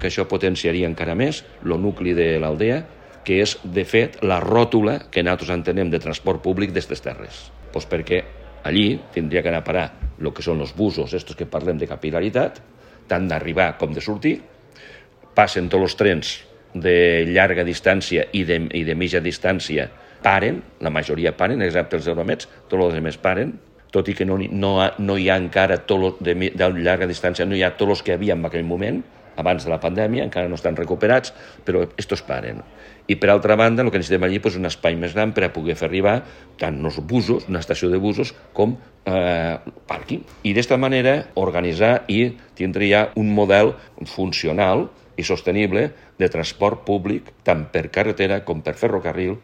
que això potenciaria encara més el nucli de l'aldea, que és, de fet, la ròtula que nosaltres entenem de transport públic d'aquestes terres. Doncs perquè allí tindria que anar a parar el que són els busos, estos que parlem de capil·laritat, tant d'arribar com de sortir, passen tots els trens de llarga distància i de mitja distància, paren, la majoria paren, excepte els Euromets, tots els altres paren, tot i que no hi ha encara de llarga distància, no hi ha tots els que hi havia en aquell moment, abans de la pandèmia, encara no estan recuperats, però estos paren. I per altra banda, el que necessitem allí és un espai més gran per a poder fer arribar tant els busos, una estació de busos, com pàrquing. I d'esta manera organitzar i tindre ja un model funcional i sostenible de transport públic tant per carretera com per ferrocarril